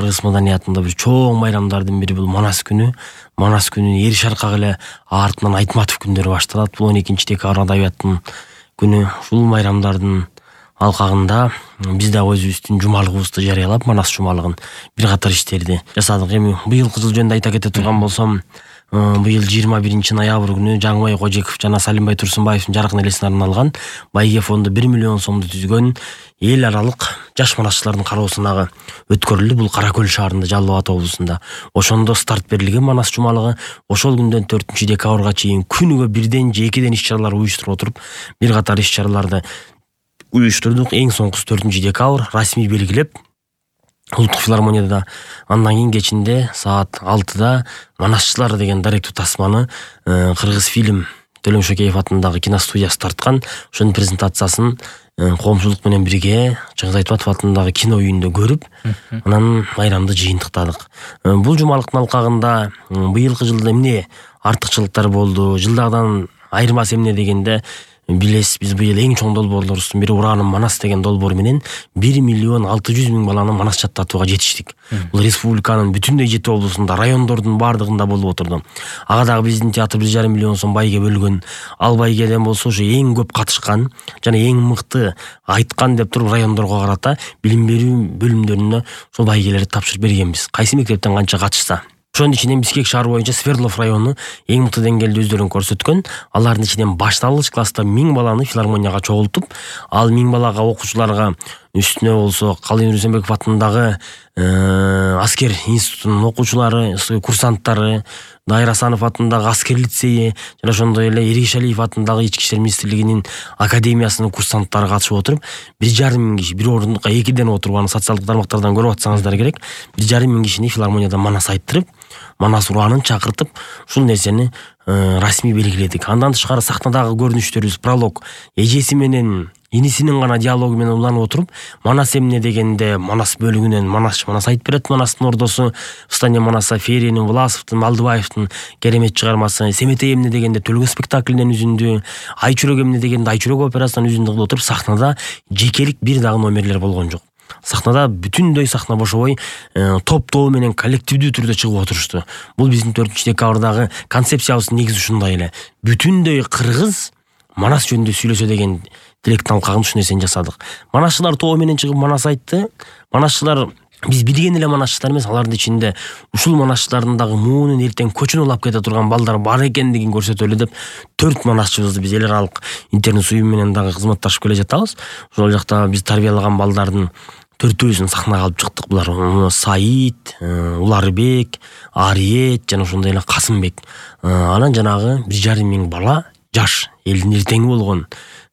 кыргыз маданиятында бир чоң майрамдардын бири бул Манас күнү. Манас күнүн эр шаркак эле артынан Айтматов күндөрү башталат. Бул 12 декабрь адабияттын күнү. Ушул майрамдардын алкагында биз дагы өзүбүздүн жумалыгыбызды жарыялап, Манас жумалыгын бир катар иштерди жасадык. Эми быйылкы жыл жөнүндө айта кете турган болсом, быйыл 21 ноябрь күнү Жаңыбай Кожеков жана Салимбай Турсунбаевдин жаркын элесине арналган Байге фонду 1 миллион сомду түзгөн эл аралык жаш манасчылардын кароосуна өткөрүлдү. Бул Кара Көл шаарында, Жалал Абад облусунда. Ошондо старт берилген Манас жумалыгы ошол күндөн 4 декабрга чейин күнүгө бирден же экиден иш-чаралар уюштуруп отуруп, бир катар иш-чараларды уюштурдук. Эң соңкусу 4 декабрь расмий белгилеп Улуттук филармонияда, андан кийин кечинде саат 6-да Манасчылар деген даректүү тасманы Кыргыз фильм Төлөм Шөкеев атындагы киностудиясы тарткан. Ошонун презентациясын коомчулук менен бирге Чыңгыз Айтматов атындагы кино үйүндө көрүп, анан майрамды жыйынтыктадык. Бул жумалыктын алкагында быйылкы жылда эмне артыкчылыктар болду, жылдагыдан айырмасы эмне дегенде, билесиз, биз быйыл эң чоң долбоорлорубуздун бири Ураным Манас деген долбоор менен 1 миллион 600 миң баланы Манас жаттатууга жетиштик. Бул республиканын бүтүндөй 7 облусунда, райондордун бардыгында болуп отурду. Ага дагы биздин театр 1,5 миллион сом байге бөлгөн. Ал байгеден болсо ушу эң көп катышкан жана эң мыкты айткан деп туруп райондорго карата билим берүү бөлүмдөрүнө ошол байгелерди тапшырып бергенбиз. Кайсы мектептен канча катышса. Ошонун ичинен Бишкек шаар боюнча Свердлов району эң мыкты деңгээлде өздөрүн көрсөткөн. Алардын ичинен башталгыч класста 1000 баланы филармонияга чогултуп, ал 1000 балага окуучуларга үстүнө болсо Калыймыр Рүстөмбеков атындагы аскер институтунун окуучулары, курсанттары, Дайыр Асанов атындагы аскер лицейи жана ошондой эле Эргишалиев атындагы Ички иштер министрлигинин академиясынын курсанттары катышып отуруп, 1,5 миң киши бир ордунка экиден отуруп, аны социалдык тармактардан көрүп атсаңыздар керек, 1,5 миң кишини филармонияда Манас айттырып, Манас ураанын чакыртып, ушул нерсени расмий белгиледик. Андан тышкары сахнадагы көрүнүштөрүбүз пролог, эжеси менен инисинин гана диалогу менен уланып отуруп, Манас эмне дегенде Манас бөлүгүнөн Манас айтып берет. Манастын ордосу Встание Манаса, Феринин, Власовдун, Малдыбаевдин керемет чыгармасы. Семетей эмне дегенде Төлгө спектаклинен үзүндү, Айчүрөк эмне дегенде Айчүрөк операсынан үзүндү кылып отуруп, сахнада жекелик бир дагы номерлер болгон жок. Сахнада бүтүндөй сахна бошобой топ-тобу менен коллективдүү түрдө чыгып отурушту. Бул биздин 4 декабрдагы концепциябыздын негизи ушундай эле. Бүтүндөй кыргыз Манас жөнүндө сүйлөсө деген тилектин алкагында ушул нерсени жасадык. Манасчылар тобу менен чыгып Манас айтты. Манасчылар биз билген эле манасчылар эмес, алардын ичинде ушул манасчылардын дагы муунун эртең көчүн улап кете турган балдар бар экендигин көрсөтөлү деп 4 манасчыбызды биз эл аралык интернет уюм менен дагы кызматташып келе жатабыз. Ошол жакта биз тарбиялаган балдардын 4-өсүн сахнага алып чыктык. Булар Саид, Уларбек, Ариет жана ошондой эле Касымбек. Анан жанагы 1,5 миң бала, жаш элдин эртеңи болгон,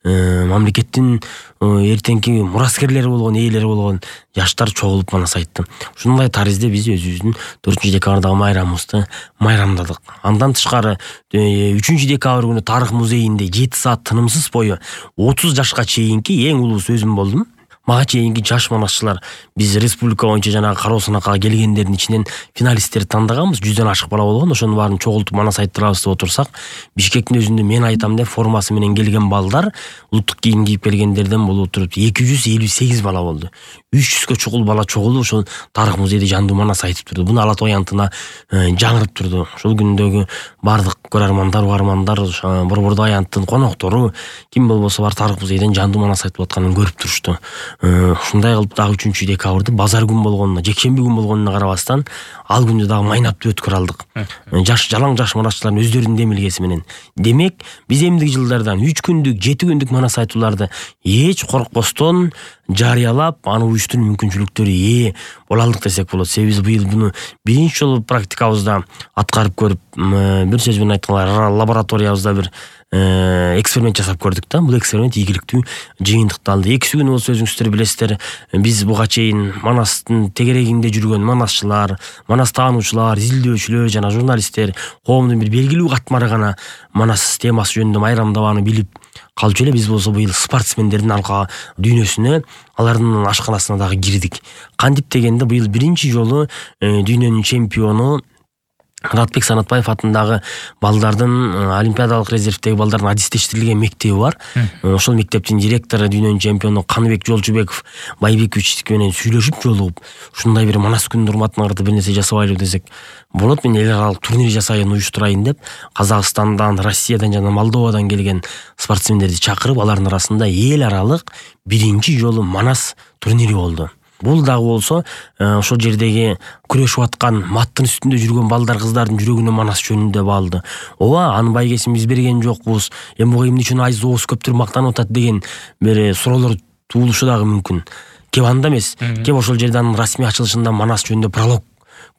мамлекеттин эртеңки мураскерлери болгон, ээлери болгон жаштар чогулуп Манас айтты. Ушундай таризде биз өзүбүздүн 4 декабрдагы майрамыбызды майрамдадык. Андан тышкары 3 декабрь күнү Тарых музейинде 7 саат тынымсыз бою 30 жашка чейинки эң улуу өзүм болдум. Мага чейинки жаш манасчылар биз республика боюнча жанагы кароосунакка келгендердин ичинен финалисттерди тандаганбыз. 100дөн ашык бала болгон. Ошонун баарын чогултуп Манас айттырабыз деп отурсак, Бишкектин өзүндө мен айтам деп формасы менен келген балдар, улуттук кийим кийип келгендерден болуп туруп 258 бала болду. 300гө чукул бала чогулуп ошол Тарых музейде жандуу Манас айтып турду. Буну Ала Тоо аянтына жаңырып турду. Ошол күндөгү бардык көрөрмандар, угармандар, Борбордук аянттын коноктору, ким болбосо бар Тарых музейден жандуу Манас айтып атканын көрүп турушту. Ушундай кылып дагы 3 декабрды базар күн болгонуна, жекшемби күн болгонуна карабастан, ал күндү дагы майнап өткөрө алдык. Жалаң жаш манасчылардын өздөрүнүн демилгеси менен. Демек, биз эмдиги жылдардан 3 күндүк, 7 күндүк Манас айтууларды эч коркпостон жарыялап, аны уюштуруу мүмкүнчүлүктөрү боло алдык десек болот. Себеби биз быйыл буну биринчи жолу практикабызда аткарып көрүп, бир сөз менен айтканда лабораториябызда бир эксперимент жасап көрдүк да. Бул эксперимент ийгиликтүү жыйынтыкталды. Экиси күнү болсо өзүңүздөр билесиздер, биз буга чейин Манастын тегерегинде жүргөн манасчылар, Манас таануучулар, изилдөөчүлөр жана журналисттер, коомдун бир белгилүү катмары гана Манас темасы жөнүндө майрамдабаны билип калчу эле. Биз болсо быйыл спортсмендердин алка дүйнөсүнө, алардын ашканасына дагы кирдик. Кантип дегенде быйыл биринчи жолу дүйнөнүн чемпиону Радбек Санатбаев атындагы балдардын олимпиадалык резервдеги балдардын адистештирилген мектеби бар. Ошол мектептин директору дүйнөнүн чемпиону Каныбек Жолчубеков Байбекович менен сүйлөшүп жолугуп, ушундай бир Манас күнүнүн урматына карата бир нерсе жасабайлы десек болот, мен эл аралык турнир жасайын уюштурайын деп Казакстандан, Россиядан жана Молдовадан келген спортсмендерди чакырып, алардын арасында эл аралык биринчи жолу Манас турнири болду. Бул дагы болсо ошол жердеги күрөшүп аткан маттын үстүндө жүргөн балдар кыздардын жүрөгүнө Манас жөнүндө баалды. Ооба, анын байгесин биз берген жокпуз. Эми буга эмне үчүн айыз оозу көптөр мактанып атат деген бир суроолор туулушу дагы мүмкүн. Кеп анда эмес. Кеп ошол жерде анын расмий ачылышында Манас жөнүндө пролог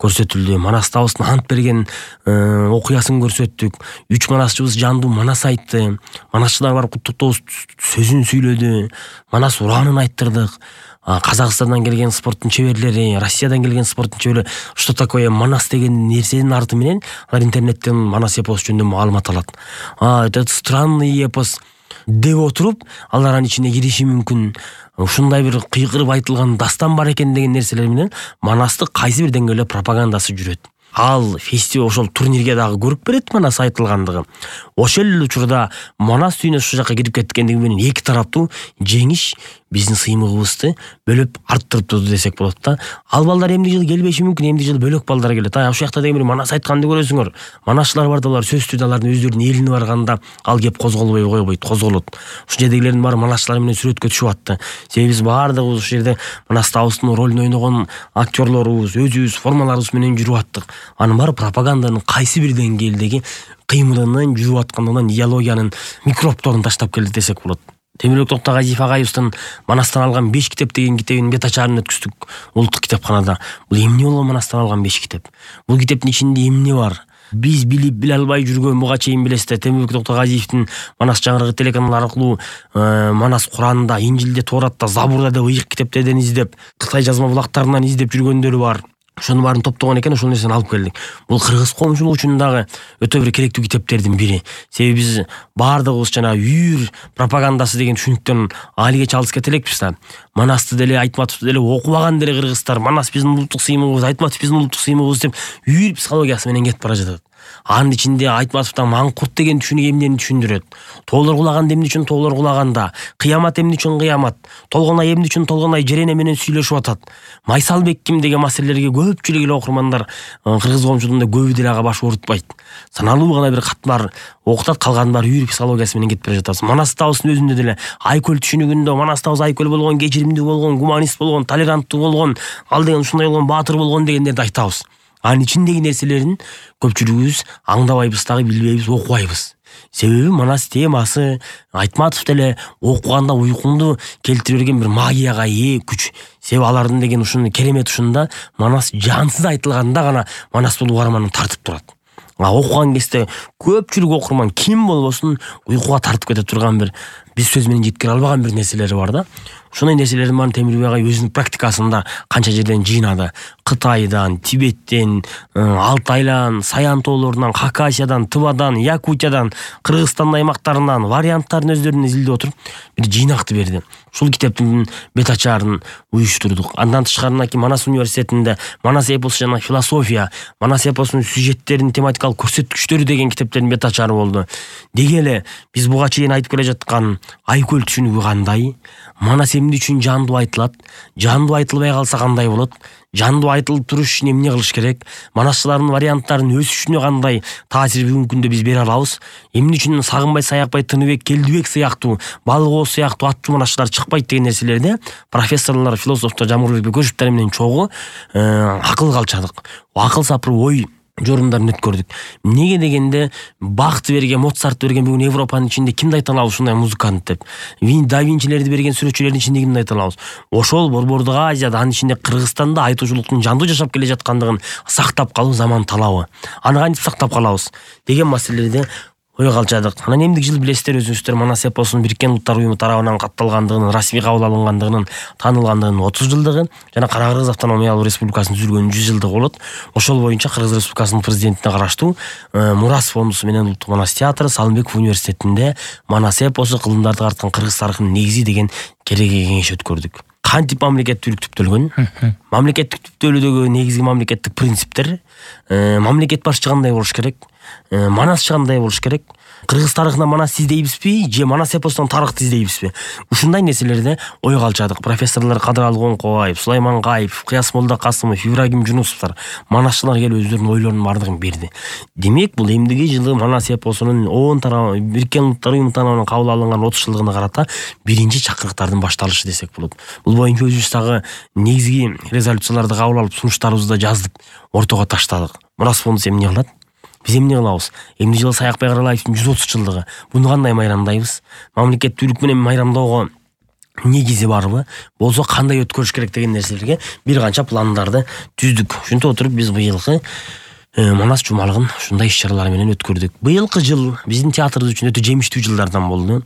көрсөтүлдү. Манас табыстын ант берген окуясын көрсөттүк. 3 манасчыбыз жандуу Манас айтты. Манасчылар барып куттуктоо сөзүн сүйлөдү. Манас ураанын айттырдык. Казакстандан келген спорттун чеберлери, Россиядан келген спорттун чеберлери что такое Манас деген нерсенин арты менен алар интернеттен Манас эпосу жөнүндө маалымат алат. Этот странный эпос деп отуруп, алар анын ичине кириши мүмкүн. Ушундай бир кыйкырып айтылган дастан бар экен деген нерселер менен Манасты кайсы бир деңгээлде пропагандасы жүрөт. Ал фестиваль ошол турнирге дагы көрүп берет Манас айтылгандыгы. Ошол эле учурда Манас дүйнөсү ушул жакка кирип кеткендиги менен эки тараптуу жеңиш биздин сыймыгыбызды бөлөп арттырыптыр десек болот да. Ал балдар эмди жыл келбеши мүмкүн, эмди жыл бөлөк балдар келет. Ошол жакта деген бир Манас айтканды көрөсүңөр. Манасчылар бар да, алар сөзсүз алардын өздөрүнүн элине барганда ал кеп козголбой койбойт, козголот. Ушул жердегилердин баары Манасчылар менен сүрөткө түшүп атты. Себеби биз баардыгыбыз ушул жерде Манас табыстын ролун ойногон актерлорубуз, өзүбүз формаларыбыз менен жүрүп аттык. Анын баары пропаганданын кайсы бир деңгээлдеги кыймылынын жүрүп аткандыгынан идеологиянын микробторун таштап келди десек болот. Темирбек Токтогазиев агайыбыздын Манастан алган 5 китеп деген китебин бет ачарын өткүздүк улуттук китепканада. Бул эмне болгон Манастан алган 5 китеп? Бул китептин ичинде эмне бар? Биз билип биле албай жүргөн буга чейин билесиздер, Темирбек Токтогазиевдин Манас жаңырыгы телеканалы аркылуу Манас Куранында, Инжилде, Торатта, Забурда деп ыйык китептерден издеп, Кытай жазма булактарынан издеп жүргөндөрү бар. Ошонун баарын топтогон экен, ошол нерсени алып келдик. Бул кыргыз коомчулугу үчүн дагы өтө бир керектүү китептердин бири. Себеби биз баардыгыбыз жана үйүр пропагандасы деген түшүнүктөн алыгече алыс кете элекпиз да. Манасты деле, Айтматовду деле окубаган деле кыргыздар, Манас биздин улуттук сыймыгыбыз, Айтматов биздин улуттук сыймыгыбыз деп үйүр психологиясы менен кетип бара жатат. Анын ичинде Айтматовдон маңкурт деген түшүнүк эмнени түшүндүрөт. Тоолор кулаганда эмне үчүн тоолор кулаганда, кыямат эмне үчүн кыямат, Толгонай эмне үчүн Толгонай Жерене менен сүйлөшүп атат. Майсалбек ким деген маселелерге көпчүлүк эле окурмандар кыргыз коомчулугунда көбү деле ага баш оорутпайт. Саналуу гана бир катмар окутат, калган бар үйүр психологиясы менен кетип бара жатабыз. Манас табыстын өзүндө деле айкөл түшүнүгүндө Манас табыз айкөл болгон, кечиримдүү болгон, гуманист болгон, толеранттуу болгон, ал деген ушундай болгон, баатыр болгон дегендерди айтабыз. Анын ичиндеги нерселерин көпчүлүгүбүз аңдабайбыз дагы, билбейбиз, окубайбыз. Себеби Манас темасы Айтматов деле окуганда уйкуңду келтире берген бир магияга ээ күч. Себеби алардын деген ушуну керемет ушунда Манас жансыз айтылганда гана Манас бул угарманы тартып турат. Окуган кезде көпчүлүк окурман ким болбосун уйкуга тартып кете турган бир, биз сөз менен жеткире албаган бир нерселери бар да. Ошондой нерселердин баарын Темирбек агай өзүнүн практикасында канча жерден жыйнады. Кытайдан, Тибеттен, Алтайдан, Саян тоолорунан, Хакасиядан, Тывадан, Якутиядан, Кыргызстан аймактарынан варианттарын өздөрүнүн изилдеп отуруп бир жыйнакты берди. Ушул китептин бет ачарын уюштурдук. Андан тышкарына Манас университетинде Манас эпосу жана философия, Манас эпосунун сюжеттеринин тематикалык көрсөткүчтөрү деген китептердин бет ачары болду. Деги эле биз буга чейин айтып келе жаткан айкөл түшүнүгү кандай? Манас эмне үчүн жандуу айтылат? Жандуу айтылбай калса кандай болот? Жандуу айтылып туруш үчүн эмне кылыш керек? Манасчылардын варианттарын өсүшүнө кандай таасир бүгүнкү күндө биз бере алабыз? Эмне үчүн Сагынбай, Саякбай, Тыныбек, Келдибек сыяктуу, Балыгоо сыяктуу аттуу манасчылар чыкпайт деген нерселерде профессорлор, философтор Жамурбек Бекөшевтер менен чогуу акыл калчадык. Акыл сапыр ой жорумдарын өткөрдүк. Неге дегенде Бахты берген, Моцарт берген бүгүн Европанын ичинде кимди айта алабыз ушундай музыкант деп? Да Винчилерди берген сүрөтчүлөрдүн ичинде кимди айта алабыз? Ошол Борбордук Азияда, анын ичинде Кыргызстанда айтуучулуктун жандуу жашап келе жаткандыгын сактап калуу заман талабы. Аны кантип сактап калабыз деген маселелерде ой калчадык. Анан эмдик жыл билесиздер, өзүңүздөр Манас эпосунун Бириккен Улуттар Уюму тарабынан катталгандыгын, расмий кабыл алынгандыгынын, таанылгандыгынын 30 жылдыгы жана Кара Кыргыз автономиялык республикасынын түзүлгөнүнүн 100 жылдыгы болот. Ошол боюнча Кыргыз Республикасынын президентине караштуу Мурас фондусу менен Улуттук Манас театры Салымбеков университетинде Манас эпосу кылымдарды карткан кыргыз тарыхынын негизи деген кереги кеңеш өткөрдүк. кантип мамлекеттүүлүк түптөлгөн, мамлекеттик түптөлүүдөгү негизги мамлекеттик принциптер, мамлекет башчы кандай болуш керек, манасчы кандай болуш керек, кыргыз тарыхынан манас издейбизби же манас эпосунан тарыхты издейбизби? Ушундай нерселерде ойго алчадык. Профессорлор Кадыралы Коңкобаев, Сулайман Каипов, Кыяс Молда Касымов, Ибрагим Жунусовдор, манасчылар келип өздөрүнүн ойлорунун бардыгын берди. Демек, бул эмдиги жылы манас эпосунун ООН тарабы, Бириккен Улуттар Уюму тарабынан кабыл алынган 30 жылдыгына карата биринчи чакырыктардын башталышы десек болот. Бул боюнча өзүбүз дагы негизги резолюцияларды кабыл алып, сунуштарыбызды жазып, ортого таштадык. Манас фонду эмне кылат? Биз эмне кылабыз? Эмне жылы Саякбай Каралаевдин 130 жылдыгы. Буну кандай майрамдайбыз? Мамлекеттүүлүк менен майрамдоого негизи барбы? Болсо кандай өткөрүш керек деген нерселерге бир канча пландарды түздүк. Ушинтип отуруп биз быйылкы Манас жумалыгын ушундай иш-чаралар менен өткөрдүк. Быйылкы жыл биздин театрыбыз үчүн өтө жемиштүү жылдардан болду.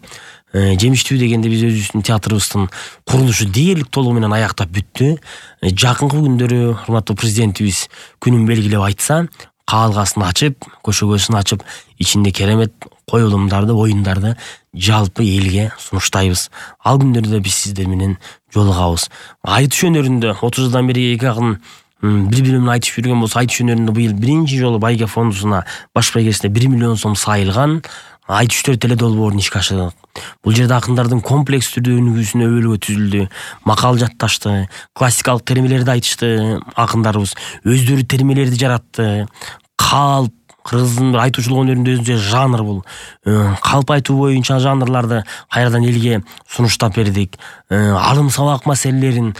Жемиштүү дегенде биз өзүбүздүн театрыбыздын курулушу дээрлик толугу менен аяктап бүттү. Жакынкы күндөрү урматтуу президентибиз күнүн белгилеп айтса, каалгасын ачып, көшөгөсүн ачып, ичинде керемет коюлумдарды, оюндарды жалпы элге сунуштайбыз. Ал күндөрдө биз сиздер менен жолугабыз. Айтыш өнөрүндө 30 жылдан бери эки акын бири-бири менен айтышып жүргөн болсо, айтыш өнөрүндө быйыл биринчи жолу Байге фондусуна баш байгесине 1 миллион сом сайылган айтыштөр теледолбоорун ишке ашырдык. Бул жерде акындардын комплекс түрдө өнүгүүсүнө өбөлгө түзүлдү, макал жатташты, классикалык термелерди айтышты акындарыбыз, өздөрү термелерди жаратты. Калп кыргыздын бир айтуучулук өнөрүндө өзүнчө жанр бул. Калп айтуу боюнча жанрларды кайрадан элге сунуштап бердик. Алым сабак маселелерин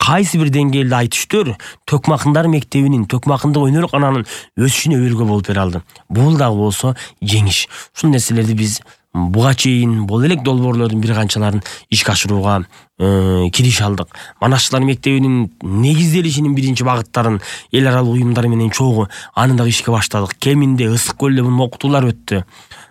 кайсы бир деңгээлде айтыштыр Төкмакындар мектебинин, Төкмакындык өнөр кананын өсүшүнө өбөлгө болуп бере алды. Бул дагы болсо жеңиш. Ушул нерселерди биз буга чейин бул элек долбоорлордун бир канчаларын ишке ашырууга кириш алдык. Манасчылар мектебинин негизделишинин биринчи багыттарын эл аралык уюмдар менен чогуу аны дагы ишке баштадык. Кеминде Ысык көлдө муну окутуулар өттү.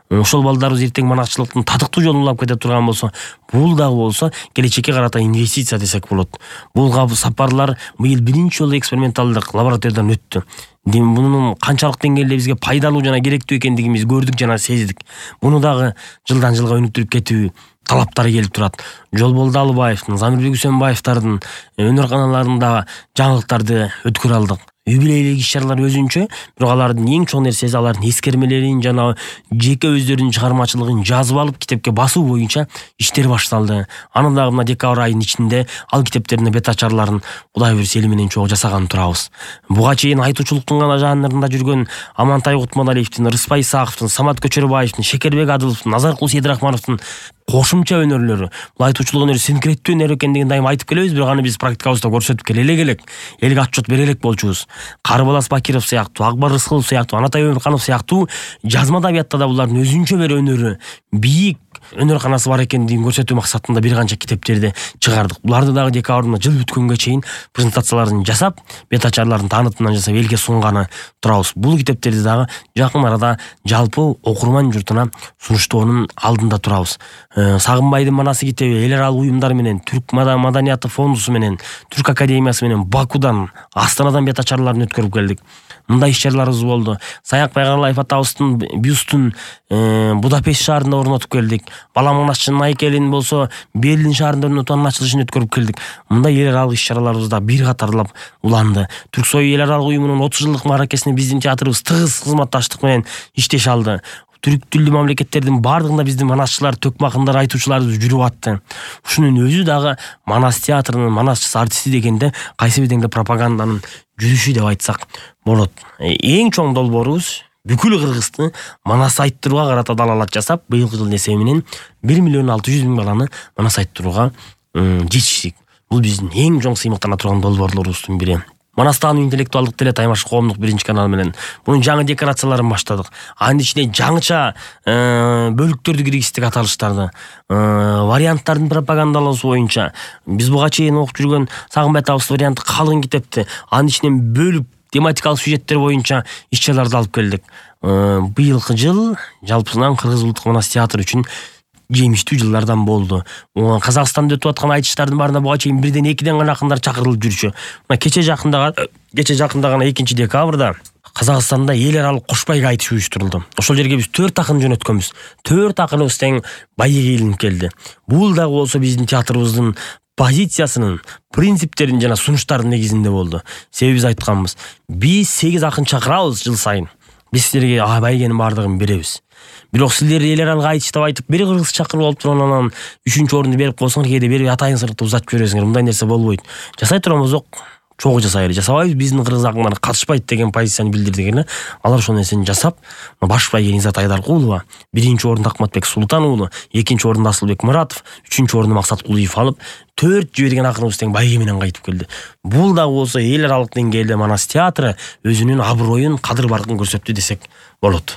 Ошол балдарыбыз эртең манасчылыктын татыктуу жолун улап кете турган болсо, бул дагы болсо келечекке карата инвестиция десек болот. Бул сапарлар быйыл биринчи жолу эксперименталдык лабораториядан өттү. Мунун канчалык деңгээлде бизге пайдалуу жана керектүү экендигин биз көрдүк жана сездик. Муну дагы жылдан жылга өнүктүрүп кетүү талаптары келип турат. Жолболду Алыбаевдин, Замирбек Үсөнбаевдардын өнөр каналарында жаңылыктарды өткөрө алдык. Юбилейлик иш-чаралар өзүнчө, бирок алардын эң чоң нерсеси алардын эскермелерин жана жеке өздөрүнүн чыгармачылыгын жазып алып китепке басуу боюнча иштер башталды. Аны дагы мына декабрь айынын ичинде ал китептердин бет ачарларын Кудай буйруса эли менен чогуу жасаган турабыз. Буга чейин айтуучулуктун гана жанрында жүргөн Амантай Кутманалиевдин, Рыспай Исаковдун, Самат Көчөрбаевдин, Шекербек Адыловдун, Назаркул Сейдрахмановдун кошумча өнөрлөрү, бул айтуучулук өнөрү синкреттүү өнөр экендигин дайым айтып келебиз, бирок аны биз практикабызда көрсөтүп келе элек. Элге отчет бере элек болчубуз. Карыбалас Бакиров сыяктуу, Акбар Рыскылов сыяктуу, Анатай Өмүрканов сыяктуу жазма адабиятта да булардын өзүнчө бир өнөрү, бийик өнөр канасы бар экендигин көрсөтүү максатында бир канча китептерди чыгардык. Буларды дагы декабрда жыл бүткөнгө чейин презентацияларын жасап, бет ачарларын таанытымдан жасап элге сунганы турабыз. Бул китептерди дагы жакын арада жалпы окурман журтуна сунуштоонун алдында турабыз. Сагынбайдын манасы китеби эл аралык уюмдар менен, Түрк маданияты фондусу менен, Түрк академиясы менен Бакудан, Астанадан бет ачарларын өткөрүп келдик. Мындай иш-чараларыбыз болду. Саякбай Каралаев атабыздын бюстун Будапешт шаарында орнотуп келдик. Бала манасчынын айкелин болсо Берлин шаарында орнотуп ачылышын өткөрүп келдик. Мындай эл аралык иш-чараларыбыз да бир катарлап уланды. Түрксой эл аралык уюмунун 30 жылдык мааракесине биздин театрыбыз тыгыз кызматташтык менен иштеше алды. Түрк тилдүү мамлекеттердин бардыгында биздин манасчылар, Төкмакындар айтуучуларыбыз жүрүп атты. Ушунун өзү дагы Манас театрынын манасчысы, артисти дегенде кайсы бир деңгээлде пропаганданын жүрүшү деп айтсак болот. Эң чоң долбоорубуз бүкүл Кыргызды манас айттырууга карата далалат жасап, быйылкы жылдын эсеби менен 1 миллион 600 миң баланы манас айттырууга жетиштик. Бул биздин эң чоң сыймыктана турган долбоорлорубуздун бири. Манастагы интеллектуалдык теле таймаш коомдук биринчи канал менен мунун жаңы декорацияларын баштадык. Анын ичине жаңыча бөлүктөрдү киргиздик аталыштарды, варианттардын пропагандалоосу боюнча биз буга чейин окуп жүргөн Сагынбай атабыз варианты калың китепти. Анын ичинен бөлүп тематикалык сюжеттер боюнча иш-чараларды алып келдик. Быйылкы жыл жалпысынан Кыргыз улуттук манас театры үчүн жемиштүү жылдардан болду. Казакстанда өтүп аткан айтыштардын баарына буга чейин бирден экиден гана акындар чакырылып жүрчү. Мына кече жакында гана 2 декабрда Казакстанда эл аралык кошбайга айтыш уюштурулду. Ошол жерге биз 4 акын жөнөткөнбүз. 4 акыныбыз тең байыга илинип келди. Бул дагы болсо биздин театрыбыздын позициясынын, принциптерин жана сунуштардын негизинде болду. Себеби биз айтканбыз, биз 8 акын чакырабыз жыл сайын. Биз силерге байгенин бардыгын беребиз. Бирок силер эл аралык айтыштап айтып, бир кыргыз чакырып алып туруп анан 3-орунду берип койсоңор, кээде берип атайын сырыкты узатып жибересиңер. Мындай нерсе болбойт. Жасай турган болсок, чогуу жасайлы. Жасабайбыз, биздин кыргыз акындар катышпайт деген позицияны билдирдик эле. Алар ошол нерсени жасап, баш байгени Изат Айдаркулова, 1-орунду Акматбек Султан уулу, 2-орунду Асылбек Муратов, 3-орунду Максат Кулуев алып, 4 жиберген акыныбыз тең байге менен кайтып келди. Бул да болсо эл аралык деңгээлде Манас театры өзүнүн аброюн, кадыр баркын көрсөттү десек болот.